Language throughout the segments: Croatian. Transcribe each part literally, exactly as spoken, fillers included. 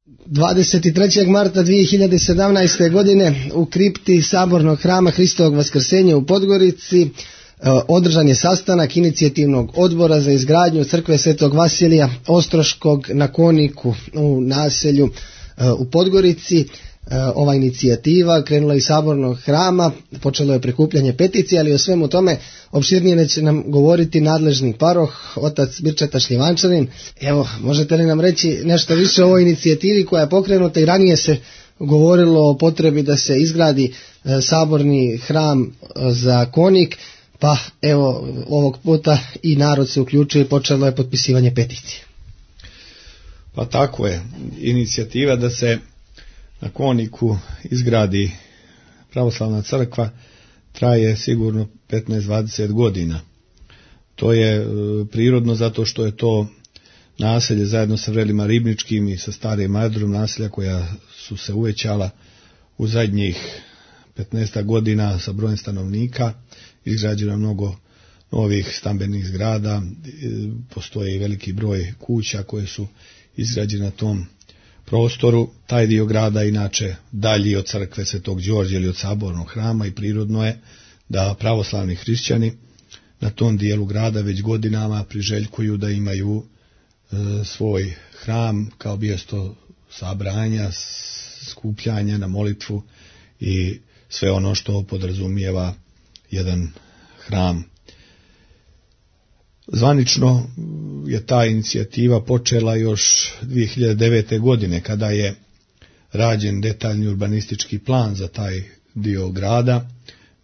dvadeset trećeg marta dvije hiljade sedamnaeste. godine u kripti Sabornog hrama Hristovog Vaskrsenja u Podgorici održan je sastanak inicijativnog odbora za izgradnju crkve Svetog Vasilija Ostroškog na Koniku u naselju u Podgorici. Ova inicijativa krenula iz Sabornog hrama, počelo je prikupljanje peticije, ali o svemu tome opširnije će nam govoriti nadležni paroh, otac Birčeta Šljivančanin. Evo, možete li nam reći nešto više o ovoj inicijativi koja je pokrenuta i ranije se govorilo o potrebi da se izgradi saborni hram za Konik, pa evo ovog puta i narod se uključuje i počelo je potpisivanje peticije. Pa tako je, inicijativa da se na Koniku izgradi pravoslavna crkva traje sigurno petnaest do dvadeset godina. To je e, prirodno zato što je to naselje zajedno sa vrelima Ribničkim i sa starim aerodrom naselja koja su se uvećala u zadnjih petnaest godina sa brojem stanovnika, izgrađeno mnogo novih stambenih zgrada, e, postoji veliki broj kuća koje su izgrađene na tom prostoru. Taj dio grada inače dalji od crkve Svetog Đorđa ili od Sabornog hrama i prirodno je da pravoslavni hrišćani na tom dijelu grada već godinama priželjkuju da imaju e, svoj hram kao mjesto sabranja, skupljanja na molitvu i sve ono što podrazumijeva jedan hram. Zvanično je ta inicijativa počela još dvije hiljade devete. godine kada je rađen detaljni urbanistički plan za taj dio grada.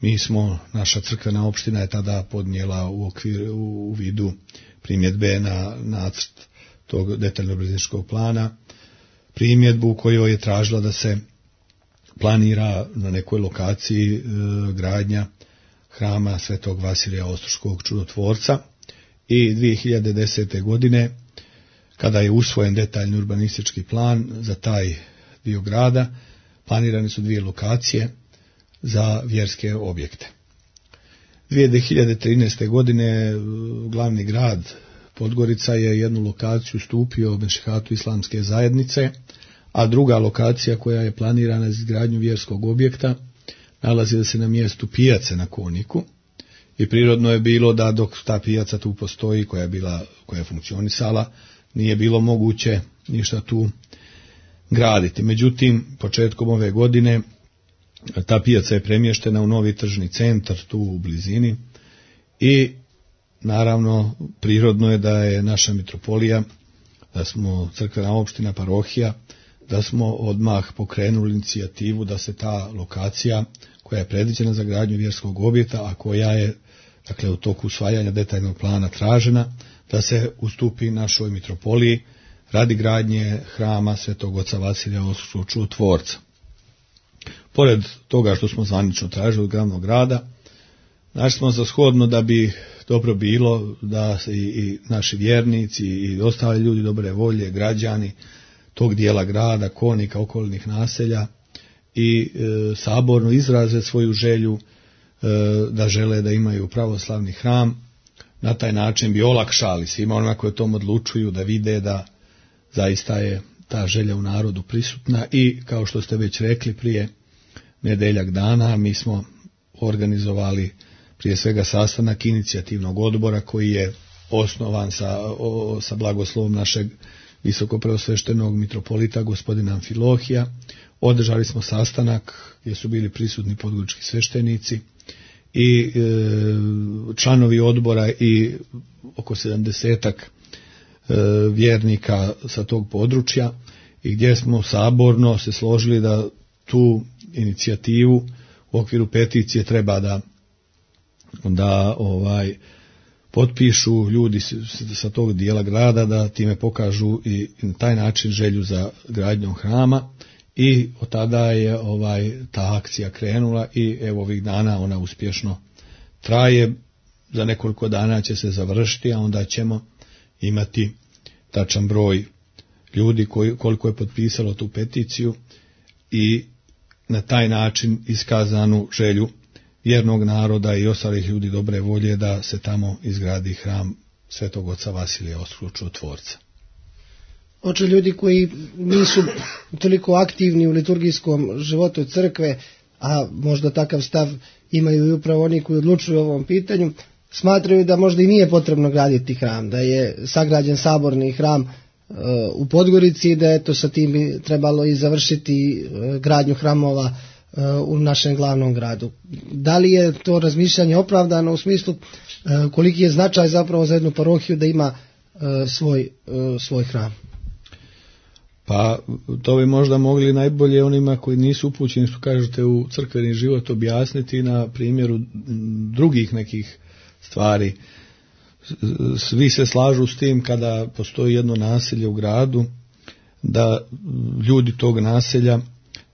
Mi smo, naša crkvena opština je tada podnijela u, okvir, u vidu primjedbe na nacrt tog detaljnog urbanističkog plana, primjedbu u kojoj je tražila da se planira na nekoj lokaciji e, gradnja hrama Svetog Vasilija Ostroškog čudotvorca. I dvije hiljade desete. godine, kada je usvojen detaljni urbanistički plan za taj dio grada, planirane su dvije lokacije za vjerske objekte. dvije hiljade trinaeste. godine glavni grad Podgorica je jednu lokaciju ustupio Mešihatu islamske zajednice, a druga lokacija koja je planirana za izgradnju vjerskog objekta nalazi se na mjestu pijace na Koniku. I prirodno je bilo da dok ta pijaca tu postoji, koja je bila, koja je funkcionisala, nije bilo moguće ništa tu graditi. Međutim, početkom ove godine ta pijaca je premještena u novi tržni centar tu u blizini i naravno prirodno je da je naša mitropolija, da smo crkvena opština, parohija, da smo odmah pokrenuli inicijativu da se ta lokacija koja je predviđena za gradnju vjerskog objekta, a koja je dakle u toku usvajanja detaljnog plana tražena, da se ustupi našoj mitropoliji radi gradnje hrama Svetog Oca Vasilija Ostroškog čudotvorca. Pored toga što smo zvanično tražili od glavnog grada, našli smo za shodno da bi dobro bilo da se i, i naši vjernici i ostali ljudi dobre volje, građani tog dijela grada, Konika, okolnih naselja i e, saborno izraze svoju želju e, da žele da imaju pravoslavni hram. Na taj način bi olakšali svima onima koji o tom odlučuju da vide da zaista je ta želja u narodu prisutna i kao što ste već rekli prije nedeljak dana mi smo organizovali prije svega sastanak inicijativnog odbora koji je osnovan sa, o, sa blagoslovom našeg visokopreosveštenog mitropolita gospodina Amfilohija. Održali smo sastanak gdje su bili prisutni podgorički sveštenici i e, članovi odbora i oko sedamdesetak e, vjernika sa tog područja i gdje smo saborno se složili da tu inicijativu u okviru peticije treba da da ovaj potpišu ljudi sa tog dijela grada, da time pokažu i na taj način želju za gradnjom hrama i od tada je ovaj ta akcija krenula i evo ovih dana ona uspješno traje. Za nekoliko dana će se završiti, a onda ćemo imati tačan broj ljudi koji, koliko je potpisalo tu peticiju i na taj način iskazanu želju vjernog naroda i ostalih ljudi dobre volje da se tamo izgradi hram Svetog Oca Vasilija Ostroškog čudotvorca. Oče ljudi koji nisu toliko aktivni u liturgijskom životu crkve, a možda takav stav imaju i upravo oni koji odlučuju o ovom pitanju, smatraju da možda i nije potrebno graditi hram, da je sagrađen saborni hram uh, u Podgorici i da eto sa tim bi trebalo i završiti uh, gradnju hramova uh, u našem glavnom gradu. Da li je to razmišljanje opravdano u smislu uh, koliki je značaj zapravo za jednu parohiju da ima uh, svoj, uh, svoj hram? Pa to bi možda mogli najbolje onima koji nisu upućeni, što kažete, u crkveni život objasniti na primjeru drugih nekih stvari. Svi se slažu s tim kada postoji jedno naselje u gradu, da ljudi tog naselja,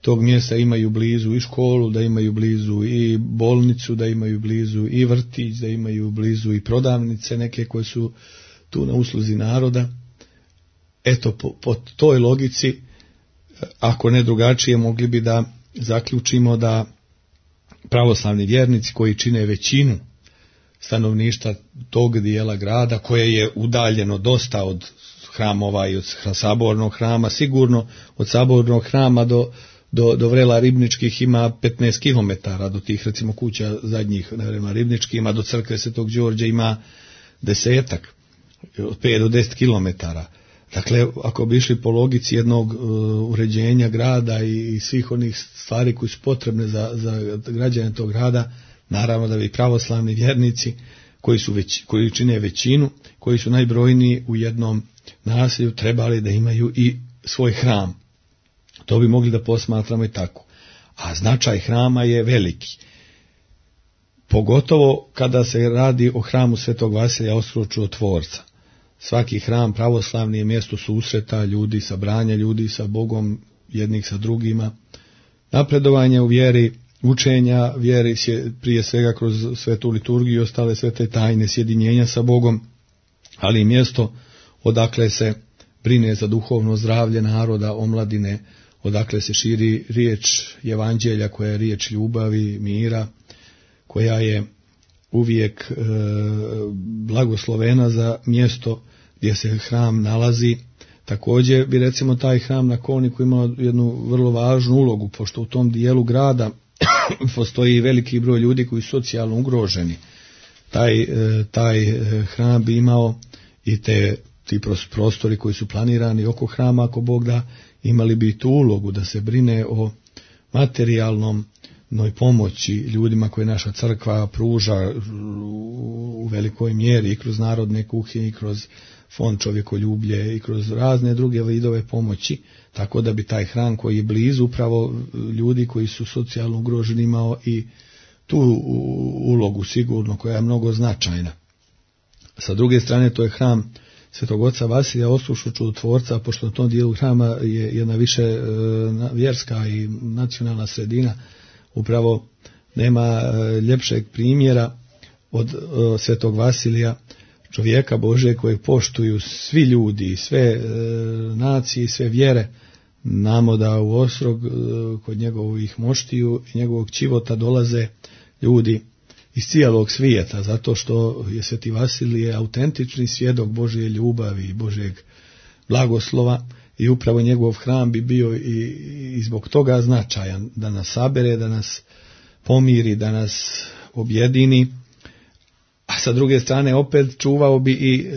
tog mjesta imaju blizu i školu, da imaju blizu i bolnicu, da imaju blizu i vrtić, da imaju blizu i prodavnice neke koje su tu na usluzi naroda. Eto, po, po toj logici, ako ne drugačije, mogli bi da zaključimo da pravoslavni vjernici koji čine većinu stanovništva tog dijela grada, koje je udaljeno dosta od hramova i od sabornog hrama, sigurno od sabornog hrama do, do, do vrela Ribničkih ima petnaest kilometara, do tih recimo kuća zadnjih na vrema Ribničkih, ima do crkve Svetog Đorđa ima desetak, od pet do deset kilometara. Dakle, ako bi išli po logici jednog uh, uređenja grada i, i svih onih stvari koji su potrebne za, za građane tog grada, naravno da bi pravoslavni vjernici koji, su već, koji čine većinu, koji su najbrojniji u jednom naselju, trebali da imaju i svoj hram. To bi mogli da posmatramo i tako. A značaj hrama je veliki. Pogotovo kada se radi o hramu Svetog Vasilija Ostročutvorca. Svaki hram pravoslavni je mjesto susreta ljudi, sabranja ljudi sa Bogom, jednih sa drugima, napredovanje u vjeri, učenja vjeri prije svega kroz svetu liturgiju i ostale svete tajne, sjedinjenja sa Bogom, ali i mjesto odakle se brine za duhovno zdravlje naroda, omladine, odakle se širi riječ evanđelja koja je riječ ljubavi, mira, koja je uvijek e, blagoslovena za mjesto gdje se hram nalazi. Također bi recimo taj hram na Kolniku imao jednu vrlo važnu ulogu, pošto u tom dijelu grada postoji veliki broj ljudi koji su socijalno ugroženi. Taj, e, taj hram bi imao i te ti prostori koji su planirani oko hrama, ako Bog da, imali bi tu ulogu da se brine o materijalnom noj pomoći ljudima koje naša crkva pruža u velikoj mjeri i kroz narodne kuhinje i kroz fond čovjekoljublje i kroz razne druge vidove pomoći, tako da bi taj hram koji je blizu upravo ljudi koji su socijalno ugroženi imao i tu ulogu sigurno koja je mnogo značajna. Sa druge strane to je hram Svetog oca Vasilija Ostročutvorca, pošto na tom dijelu hrama je jedna više vjerska i nacionalna sredina, upravo nema ljepšeg primjera od Svetog Vasilija, čovjeka Božje kojeg poštuju svi ljudi, sve nacije, sve vjere. Znamo da u Ostrog kod njegovih moštiju i njegovog čivota dolaze ljudi iz cijelog svijeta, zato što je Sveti Vasilije autentični svjedok Božje ljubavi i Božjeg blagoslova i upravo njegov hram bi bio i, i zbog toga značajan, da nas sabere, da nas pomiri, da nas objedini, a sa druge strane opet čuvao bi i e,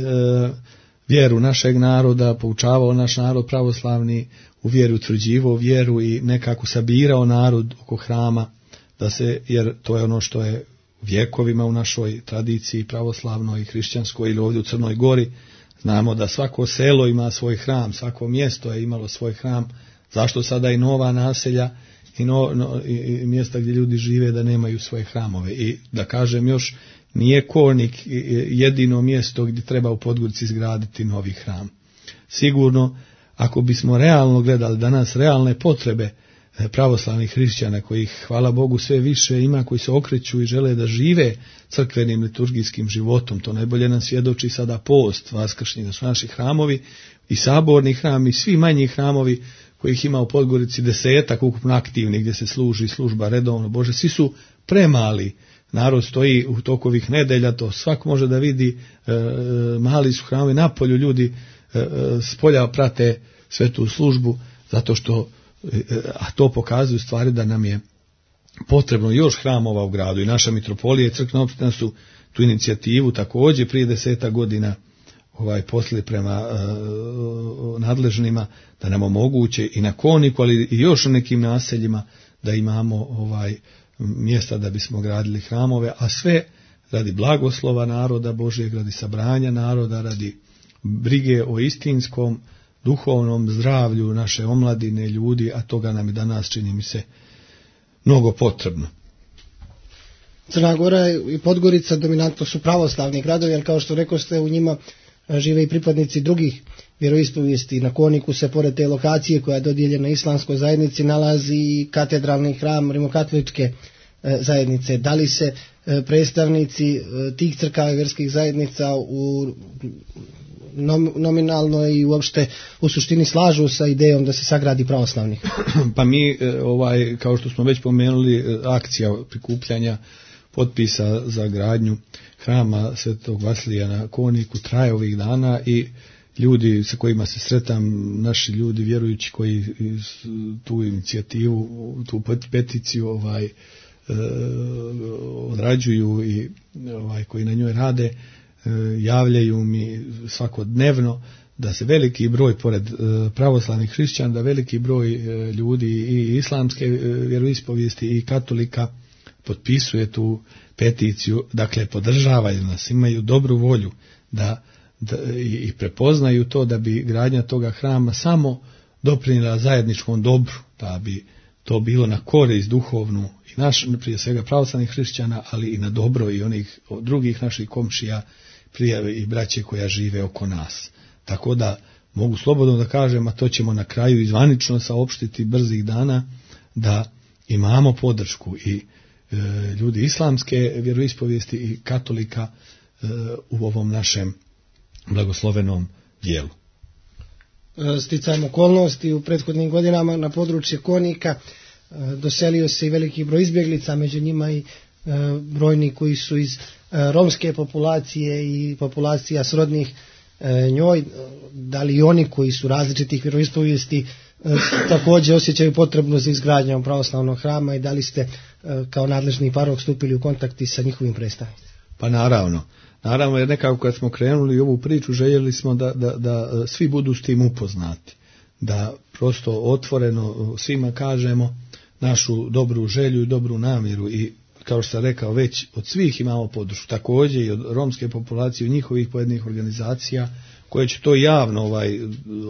vjeru našeg naroda, poučavao naš narod pravoslavni u vjeru, utvrđivao vjeru i nekako sabirao narod oko hrama, da se, jer to je ono što je vjekovima u našoj tradiciji pravoslavnoj i hrišćanskoj ili ovdje u Crnoj Gori. Znamo da svako selo ima svoj hram, svako mjesto je imalo svoj hram. Zašto sada i nova naselja i, no, no, i, i mjesta gdje ljudi žive da nemaju svoje hramove? I da kažem još, nije Kolnik jedino mjesto gdje treba u Podgorici izgraditi novi hram. Sigurno, ako bismo realno gledali danas realne potrebe pravoslavnih hrišćana, kojih, hvala Bogu, sve više ima, koji se okreću i žele da žive crkvenim liturgijskim životom, to najbolje nam svjedoči sada post vaskršnji, da su naši hramovi i saborni hram i svi manji hramovi kojih ima u Podgorici desetak ukupno aktivnih gdje se služi služba redovno Bože, svi su premali. Narod stoji u tokovih nedelja, to svak može da vidi, e, mali su hramovi, napolju ljudi s polja prate svetu službu, zato što, a to pokazuju stvari da nam je potrebno još hramova u gradu i naša mitropolija i crkvena opština su tu inicijativu također prije deseta godina ovaj poslali prema uh, nadležnima da nam omoguće i na Koniku, ali i još u nekim naseljima da imamo ovaj mjesta da bismo gradili hramove, a sve radi blagoslova naroda Božijeg, radi sabranja naroda, radi brige o istinskom duhovnom zdravlju naše omladine, ljudi, a toga nam je danas, čini mi se, mnogo potrebno. Crna Gora i Podgorica dominantno su pravoslavni gradovi, ali kao što rekoste, u njima žive i pripadnici drugih vjeroispovijesti. Na Koniku se pored te lokacije koja je dodijeljena islamskoj zajednici nalazi i katedralni hram rimokatoličke zajednice. Da li se predstavnici tih crkava i vjerskih zajednica u nominalno i uopšte u suštini slažu sa idejom da se sagradi pravoslavni? Pa mi, ovaj, kao što smo već pomenuli, akcija prikupljanja potpisa za gradnju hrama Svetog Vasilija na Koniku traje ovih dana i ljudi sa kojima se sretam, naši ljudi vjerujući koji tu inicijativu, tu peticiju ovaj, e, odrađuju i ovaj, koji na njoj rade, e, javljaju mi svakodnevno da se veliki broj, pored e, pravoslavnih hrišćana, da veliki broj e, ljudi i islamske e, vjeroispovijesti i katolika potpisuje tu peticiju, dakle podržavaju nas, imaju dobru volju da, da i prepoznaju to da bi gradnja toga hrama samo doprinijela zajedničkom dobru, da bi to bilo na korist duhovnu i naš, prije svega pravoslavnih hrišćana, ali i na dobro i onih drugih naših komšija, prijave i braće koja žive oko nas. Tako da mogu slobodno da kažem, a to ćemo na kraju izvanično saopštiti brzih dana, da imamo podršku i ljudi islamske vjeroispovijesti i katolika u ovom našem blagoslovenom dijelu. Sticajem okolnosti u prethodnim godinama na području Konika doselio se i veliki broj izbjeglica, među njima i brojni koji su iz romske populacije i populacija srodnih njoj. Da li oni koji su različitih vjeroispovijesti također osjećaju potrebno za izgradnjom pravoslavnog hrama i da li ste kao nadležni parok stupili u kontakti sa njihovim predstavnicima? Pa naravno. Naravno, jer nekako kad smo krenuli ovu priču, željeli smo da, da, da svi budu s tim upoznati. Da prosto otvoreno svima kažemo našu dobru želju i dobru namjeru i kao što sam rekao već od svih imamo podršku. Također i od romske populacije, od njihovih pojedinih organizacija koje će to javno, ovaj,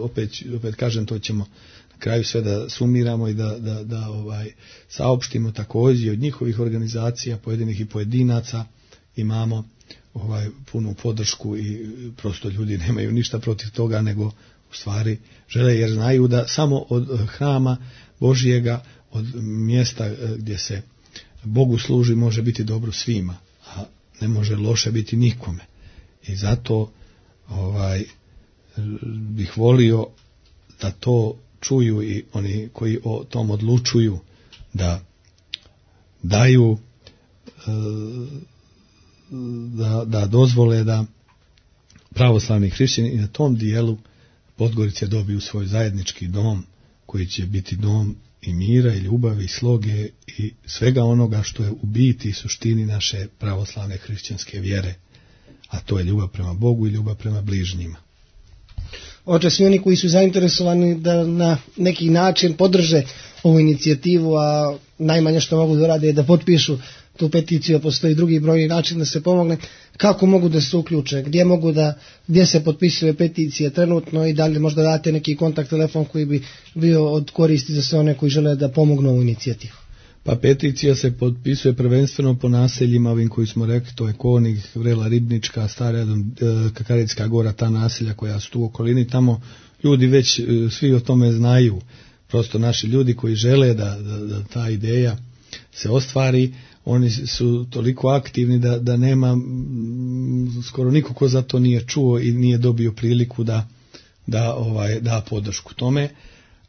opet, opet kažem, to ćemo na kraju sve da sumiramo i da, da, da ovaj, saopštimo također od njihovih organizacija, pojedinih i pojedinaca imamo ovaj, punu podršku i prosto ljudi nemaju ništa protiv toga, nego u stvari žele jer znaju da samo od hrama Božijega, od mjesta gdje se Bogu služi može biti dobro svima, a ne može loše biti nikome. I zato ovaj, bih volio da to čuju i oni koji o tom odlučuju, da daju, da, da dozvole da pravoslavni hrišćani i na tom dijelu Podgorice dobiju svoj zajednički dom koji će biti dom i mira i ljubavi i sloge i svega onoga što je u biti i suštini naše pravoslavne hrišćanske vjere, a to je ljubav prema Bogu i ljubav prema bližnjima. Oče, svi oni koji su zainteresovani da na neki način podrže ovu inicijativu, a najmanje što mogu da rade je da potpišu tu peticiju, a postoji drugi brojni način da se pomogne, kako mogu da se uključe, gdje mogu da, gdje se potpisuje peticije trenutno i da li možda date neki kontakt telefon koji bi bio od koristi za sve one koji žele da pomognu ovu inicijativu. Pa peticija se potpisuje prvenstveno po naseljima ovim koji smo rekli, to je Konik, Vrela Ribnička, Stara Kakarecka Gora, ta naselja koja su tu u okolini, tamo ljudi već svi o tome znaju, prosto naši ljudi koji žele da, da, da ta ideja se ostvari, oni su toliko aktivni da, da nema m, skoro niko ko za to nije čuo i nije dobio priliku da, da ovaj, da podršku tome.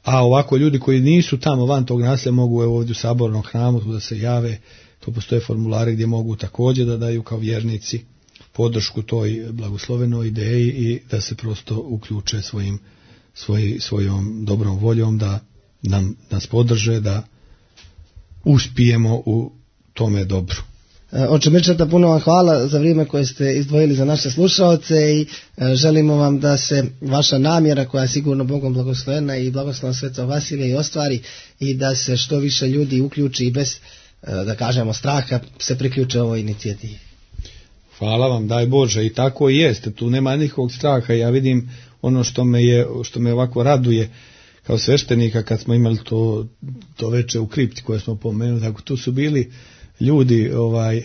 A ovako ljudi koji nisu tamo van tog naselja mogu evo, ovdje u Sabornom hramu da se jave, to postoje formulare gdje mogu također da daju kao vjernici podršku toj blagoslovenoj ideji i da se prosto uključe svojim, svoj, svojom dobrom voljom, da nam, nas podrže, da uspijemo u tome dobru. Oče Mirčeta, puno vam hvala za vrijeme koje ste izdvojili za naše slušaoce i želimo vam da se vaša namjera, koja je sigurno Bogom blagoslovena i blagoslovom Svetog Vasilija, i ostvari i da se što više ljudi uključi i bez, da kažemo, straha se priključe ovoj inicijativi. Hvala vam, daj Bože, i tako i jeste, tu nema nikakvog straha. Ja vidim ono što me je, što me ovako raduje kao sveštenika, kad smo imali to, to veče u kripti koje smo pomenuli, tako tu su bili ljudi ovaj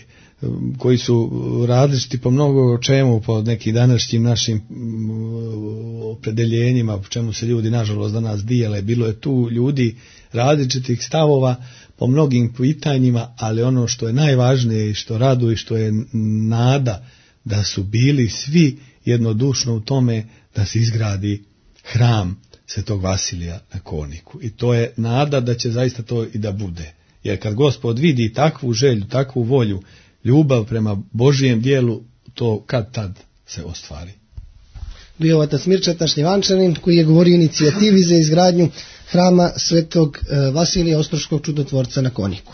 koji su različiti po mnogo čemu, po nekim današnjim našim opredeljenjima, po čemu se ljudi nažalost danas dijele. Bilo je tu ljudi različitih stavova po mnogim pitanjima, ali ono što je najvažnije i što raduje i što je nada, da su bili svi jednodušno u tome da se izgradi hram Svetog Vasilija na Koniku. I to je nada da će zaista to i da bude. Jer kad Gospod vidi takvu želju, takvu volju, ljubav prema Božijem dijelu, to kad tad se ostvari. Bio otac Mirčeta Šljivančanin, koji je govorio o inicijativi za izgradnju hrama Svetog Vasilija Ostroškog čudotvorca na Koniku.